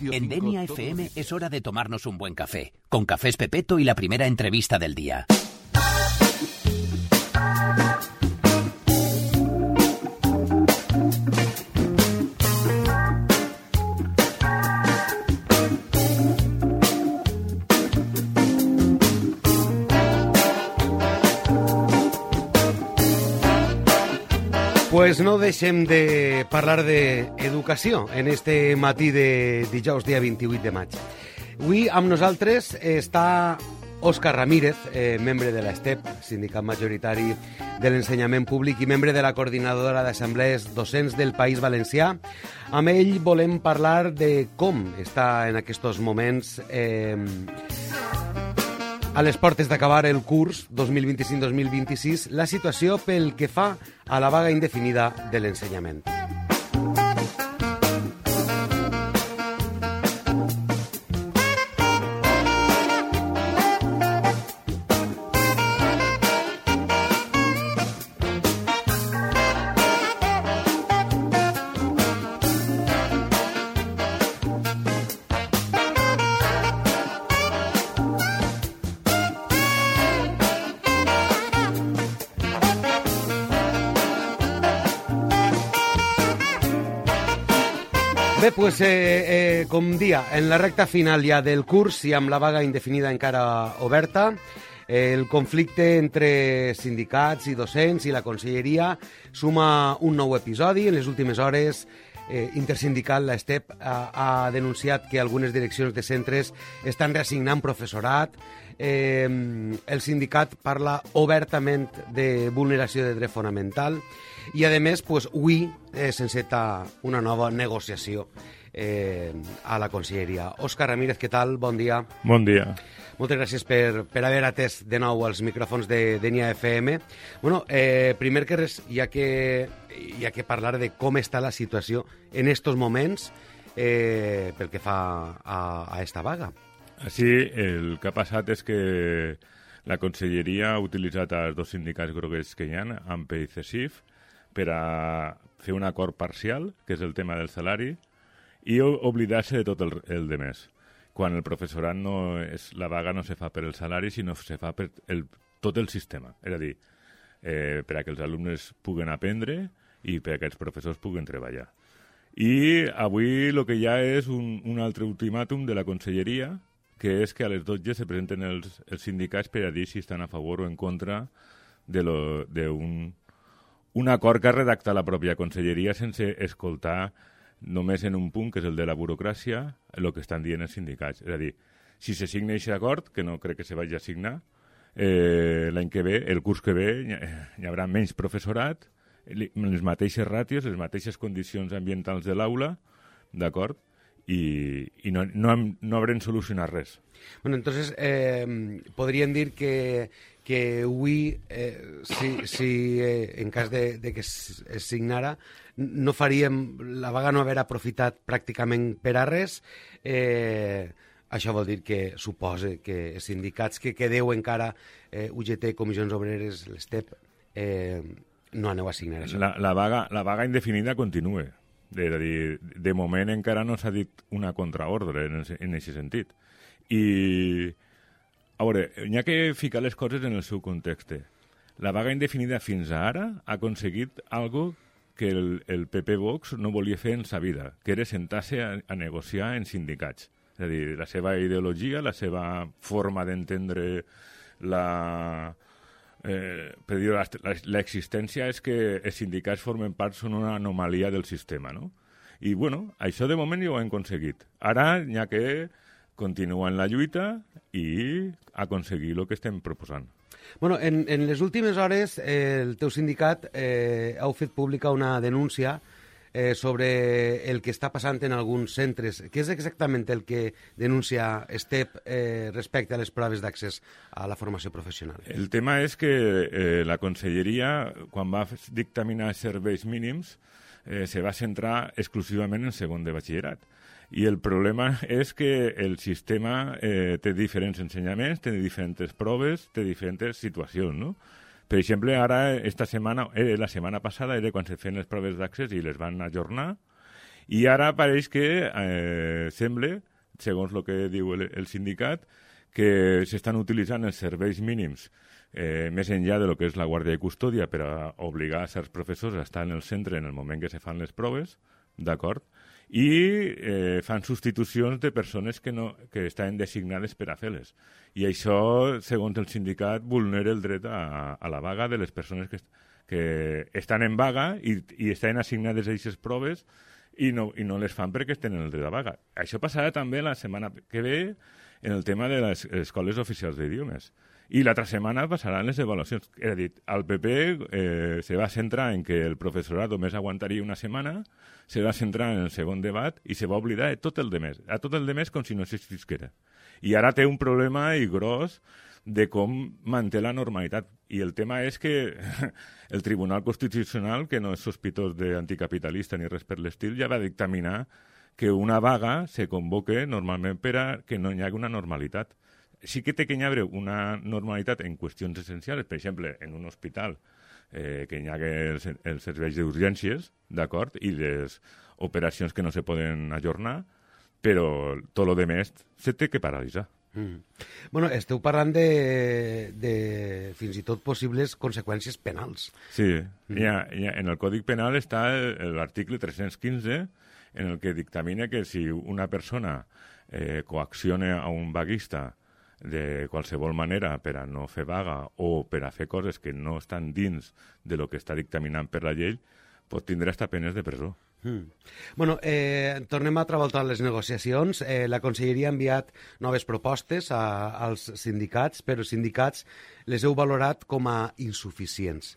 En Denia FM es hora de tomarnos un buen café, con Cafés Pepeto y la primera entrevista del día. Pues no deixem de parlar d'educació en este matí de dijous, dia 28 de maig. Avui amb nosaltres està Òscar Ramírez, membre de l'ESTEP, sindicat majoritari de l'ensenyament públic i membre de la coordinadora d'assemblees docents del País Valencià. Amb ell volem parlar de com està en aquests moments a les portes d'acabar el curs 2025-2026 la situació pel que fa a la vaga indefinida de l'ensenyament. Bé, doncs, com dia, en la recta final ja del curs i amb la vaga indefinida encara oberta, el conflicte entre sindicats i docents i la conselleria suma un nou episodi. En les últimes hores, Intersindical, l'ESTEP, ha denunciat que algunes direccions de centres estan reassignant professorat. El sindicat parla obertament de vulneració de dret fonamental i, a més, avui s'enceta una nova negociació a la conselleria. Òscar Ramírez, què tal? Bon dia. Bon dia. Moltes gràcies per haver atès de nou els micròfons de Denia FM. Bueno, primer que res, hi ha que parlar de com està la situació en estos moments pel que fa a esta vaga. Sí, el que ha passat és que la conselleria ha utilitzat els dos sindicats groguers que hi ha, AMPE i CESIF, per a fer un acord parcial, que és el tema del salari, i oblidar-se de tot el de més. Quan el professorat la vaga no se fa per el salari, sinó se fa per tot el sistema. És a dir, per a que els alumnes puguen aprendre i per a que els professors puguen treballar. I avui el que hi ha és un altre ultimàtum de la conselleria, que és que a les 12 se presenten els sindicats per a dir si estan a favor o en contra d'un acord que ha redactat la pròpia conselleria sense escoltar només en un punt, que és el de la burocràcia, el que estan dient els sindicats. És a dir, si se signa aquest acord, que no crec que se vagi a signar, l'any que ve, el curs que ve, hi haurà menys professorat, les mateixes ràtios, les mateixes condicions ambientals de l'aula, d'acord? I no haurem solucionat res. Bueno, entonces, podríem dir que avui, si en cas de que es signara, no faríem, la vaga no haver aprofitat pràcticament per a res. Això vol dir que suposa que els sindicats que quedeu encara, UGT, Comissions Obreres, l'ESTEP, no aneu a signar això. La vaga indefinida continua. És a dir, de moment encara no s'ha dit una contraordre en aquest sentit. I, a veure, hi ha que ficar les coses en el seu context. La vaga indefinida fins ara ha aconseguit algo que el PP-Vox no volia fer en sa vida, que era sentar-se a negociar en sindicats. És a dir, la seva ideologia, la seva forma d'entendre l'existència és que els sindicats formen part, són una anomalia del sistema, no? I, bueno, això de moment ja ho hem aconseguit. Ara hi ha que continuar en la lluita i aconseguir el que estem proposant. Bueno, en les últimes hores el teu sindicat heu fet pública una denúncia sobre el que està passant en alguns centres. Què és exactament el que denuncia ESTEP respecte a les proves d'accés a la formació professional? El tema és que la conselleria, quan va dictaminar serveis mínims, se va centrar exclusivament en segon de batxillerat. I el problema és que el sistema té diferents ensenyaments, té diferents proves, té diferents situacions, no? Per exemple, ara, la setmana passada, era quan se feien les proves d'accés i les van ajornar, I ara pareix que sembla, segons el que diu el sindicat, que s'estan utilitzant els serveis mínims més enllà de lo que és la guàrdia i custòdia per a obligar a certs professors a estar en el centre en el moment que se fan les proves, d'acord? I fan substitucions de persones que estan designades per a fer-les. I això, segons el sindicat, vulnera el dret a la vaga de les persones que estan en vaga i estan assignades a aquestes proves i no les fan perquè tenen el dret a vaga. Això passarà també la setmana que ve en el tema de les escoles oficials d'idiomes. I l'altra setmana passaran les avaluacions. És a dir, el PP se va centrar en que el professorat només aguantaria una setmana, se va centrar en el segon debat i se va oblidar de tot el demés. A tot el demés com si no existisquera. I ara té un problema gros de com manté la normalitat. I el tema és que el Tribunal Constitucional, que no és sospitós d'anticapitalista ni res per l'estil, ja va dictaminar que una vaga se convoque normalment per a que no hi hagi una normalitat. Sí que té que hi haver una normalitat en qüestions essencials, per exemple, en un hospital, que hi hagi els serveis d'urgències, d'acord, i les operacions que no se poden ajornar, però tot el demés se té que paralitzar. Bueno, esteu parlant de fins i tot possibles conseqüències penals. Sí, en el Còdic Penal està l'article 315, en el que dictamina que si una persona coacciona a un vaguista de qualsevol manera per a no fer vaga o per a fer coses que no estan dins de lo que està dictaminant per la llei, pot tindre hasta penes de presó. Bueno, tornem a treballar les negociacions. La Conselleria ha enviat noves propostes als sindicats, però els sindicats les heu valorat com a insuficients.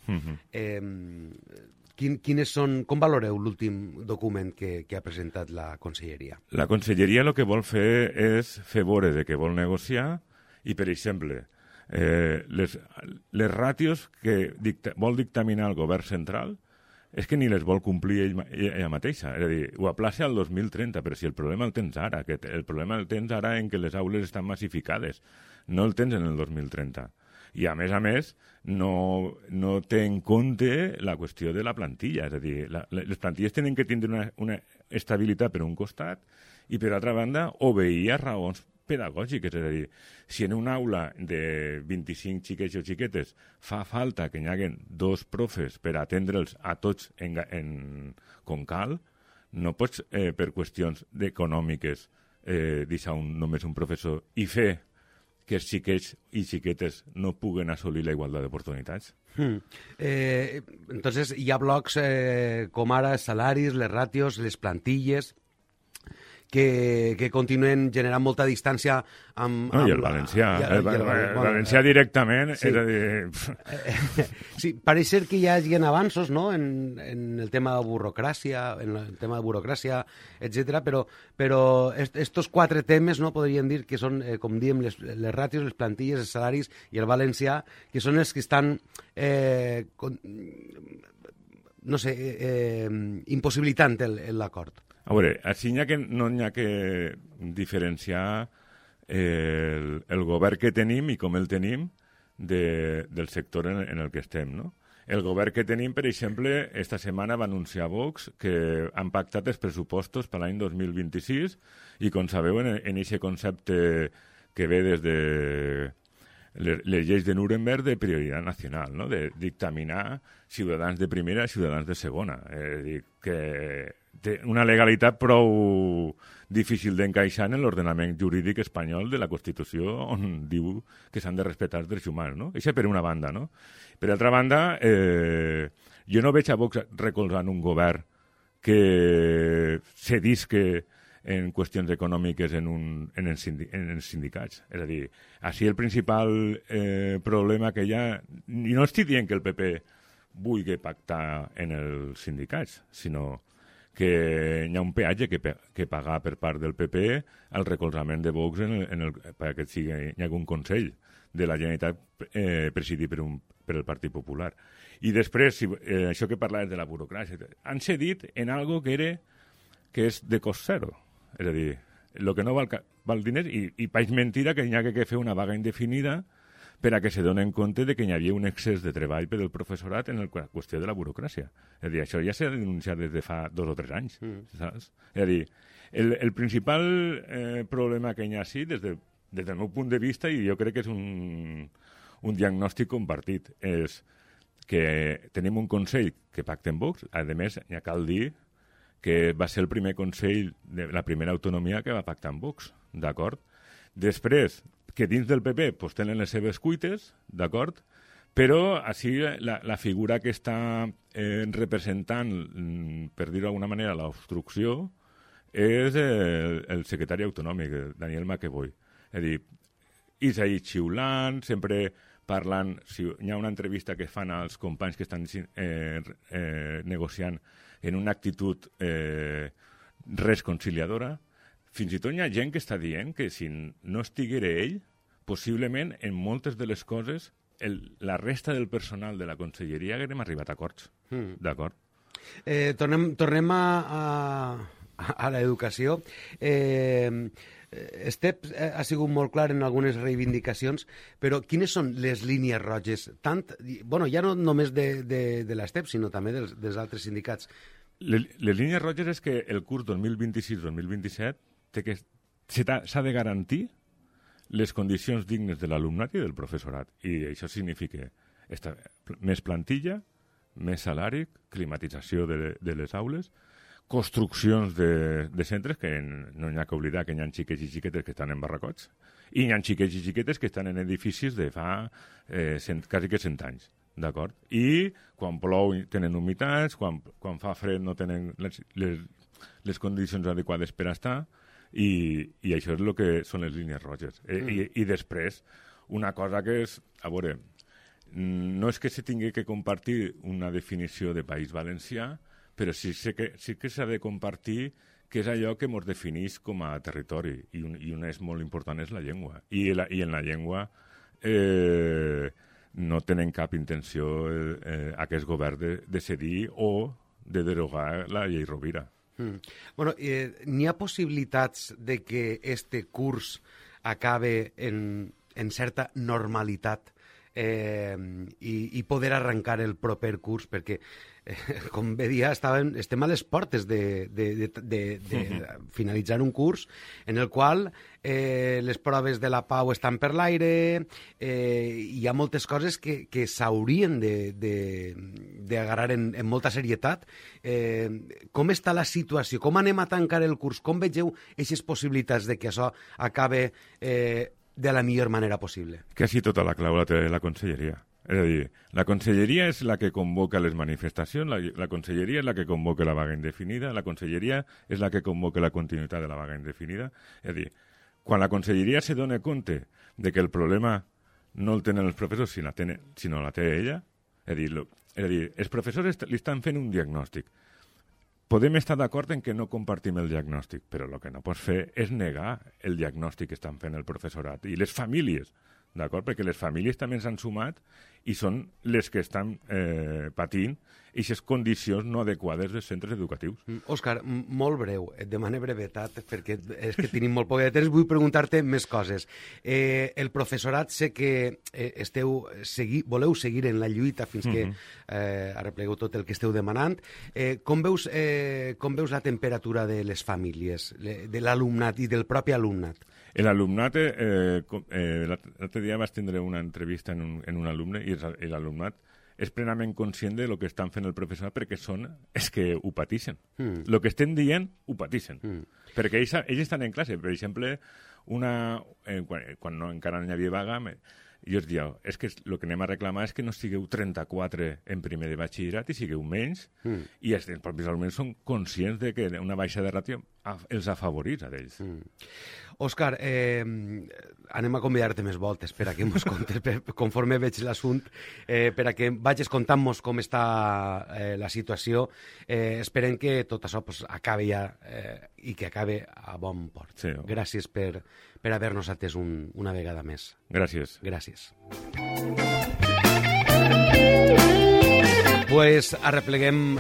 Com valoreu l'últim document que ha presentat la Conselleria? La Conselleria el que vol fer és fer veure de que vol negociar i, per exemple, les ràtios que vol dictaminar el govern central és que ni les vol complir ella mateixa. És a dir, ho aplaça al 2030, però si el problema el tens ara, el problema el tens ara en que les aules estan massificades, no el tens en el 2030. I, a més, no té en compte la qüestió de la plantilla. És a dir, les plantilles tenen que tindre una estabilitat per un costat i, per altra banda, obeir a raons pedagògiques. És a dir, si en una aula de 25 xiquets o xiquetes fa falta que hi hagi 2 profes per atendre'ls a tots com cal, no pots, per qüestions econòmiques, deixar només un professor i fer que els xiquets i xiquetes no puguen assolir la igualtat d'oportunitats. Entonces, hi ha blocs com ara els salaris, les ràtios, les plantilles, que continuen generant molta distància amb... I el valencià. El valencià directament, sí. És a dir... Sí, pareix ser que hi hagi avanços, no?, en el tema de burocràcia, etc. Però estos 4 temes, no, podríem dir que són, com diem, les ràtios, les plantilles, els salaris i el valencià, que són els que estan, impossibilitant l'acord. A veure, així no hi ha que diferenciar el govern que tenim i com el tenim del sector en el que estem, no? El govern que tenim, per exemple, esta setmana va anunciar Vox que han pactat els pressupostos per l'any 2026 i, com sabeu, en aquest concepte que ve des de les lleis de Nuremberg de prioritat nacional, no?, de dictaminar ciutadans de primera i ciutadans de segona. És a dir, que té una legalitat prou difícil d'encaixar en l'ordenament jurídic espanyol de la Constitució, on diu que s'han de respectar els drets humans, no? Això per una banda, no? Per altra banda, jo no veig a Vox recolzant un govern que cedisque en qüestions econòmiques en els sindicats. És a dir, així el principal problema que hi ha... I no estic dient que el PP vulgui pactar en els sindicats, sinó que hi ha un peatge que pagar per part del PP al recolzament de Vox perquè hi hagi un Consell de la Generalitat presidit per el Partit Popular. I després, això que parlaves de la burocràcia, han cedit en algo que és de cost zero. És a dir, el que no val diners, i paix mentira que hi ha que fer una vaga indefinida per a que se donen compte de que hi havia un excés de treball per al professorat en la qüestió de la burocràcia. És a dir, això ja s'ha denunciat des de fa 2 o 3 anys, saps? És a dir, el principal problema que hi ha així, des del meu punt de vista, i jo crec que és un diagnòstic compartit, és que tenim un Consell que pacta amb Vox. A més, ja cal dir que va ser el primer Consell de la primera autonomia que va pactar amb Vox, d'acord? Després, que dins del PP pues, tenen les seves cuites, d'acord? Però així la figura que està representant, per dir-ho d'alguna manera, l'obstrucció, és el secretari autonòmic, Daniel McEvoy. És a dir, és ahí xiulant, sempre parlant, si hi ha una entrevista que fan als companys que estan negociant en una actitud res conciliadora, fins i tot hi ha gent que està dient que si no estiguera ell, possiblement en moltes de les coses la resta del personal de la conselleria haguem arribat a acords. D'acord? Tornem a l'educació. Estep ha sigut molt clar en algunes reivindicacions, però quines són les línies roges? Ja no només de l'Estep, sinó també dels altres sindicats. Les línies roges és que el curs 2026-2027 s'ha de garantir les condicions dignes de l'alumnat i del professorat. I això significa més plantilla, més salari, climatització de les aules, construccions de centres, que no hi ha que oblidar que hi ha xiquets i xiquetes que estan en barracots, i hi ha xiquets i xiquetes que estan en edificis de fa quasi que 100 anys, d'acord? I quan plou tenen humitats, quan fa fred no tenen les condicions adequades per estar, i això és el que són les línies roges. I després, una cosa que és, a veure, no és que se tingui que compartir una definició de País Valencià, però sí que s'ha de compartir què és allò que ens defineix com a territori, i una és molt important, és la llengua. I en la llengua no tenen cap intenció aquest govern de cedir o de derogar la llei Rovira. Bueno, n'hi ha possibilitats de que este curs acabe en certa normalitat i poder arrencar el proper curs, perquè com bé dia, estem a les portes de finalitzar un curs en el qual les proves de la Pau estan per l'aire, hi ha moltes coses que s'haurien d'agarrar en molta serietat. Com està la situació? Com anem a tancar el curs? Com vegeu aquestes possibilitats de que això acabe de la millor manera possible? Quasi tota la clau la té la conselleria. És a dir, la conselleria és la que convoca les manifestacions, la conselleria és la que convoca la vaga indefinida, la conselleria és la que convoca la continuïtat de la vaga indefinida. És a dir, quan la conselleria se dona compte de que el problema no el tenen els professors, sinó la té ella, és a dir, els professors li estan fent un diagnòstic. Podem estar d'acord en que no compartim el diagnòstic, però el que no pots fer és negar el diagnòstic que estan fent el professorat i les famílies, d'acord? Perquè les famílies també s'han sumat i són les que estan patint aquestes condicions no adequades dels centres educatius. Òscar, molt breu, et demano brevetat, perquè és que tenim molt poc de temps, vull preguntar-te més coses. El professorat, sé que voleu seguir en la lluita fins que arreplegueu tot el que esteu demanant. Com veus la temperatura de les famílies, de l'alumnat i del propi alumnat? L'alumnat, l'altre dia vaig tindre una entrevista en un alumne i l'alumnat és plenament conscient de lo que estan fent el professorat perquè és que ho pateixen. El que estem dient, ho pateixen. Perquè ells estan en classe. Per exemple, quan encara no hi havia vaga, jo els diu, és que el que anem a reclamar és que no sigueu 34 en primer de batxillerat i sigueu menys, i els propis alumnes són conscients de que una baixa de ràtio els afavoreix a ells. Òscar, anem a convidar-te més voltes per a que ens contes, conforme veig l'assunt, per a que vagis contant-nos com està la situació. Esperem que tot això acabi ja i que acabi a bon port. Sí. Gràcies per haver-nos atès una vegada més. Gràcies. Gràcies. Pues arrepleguem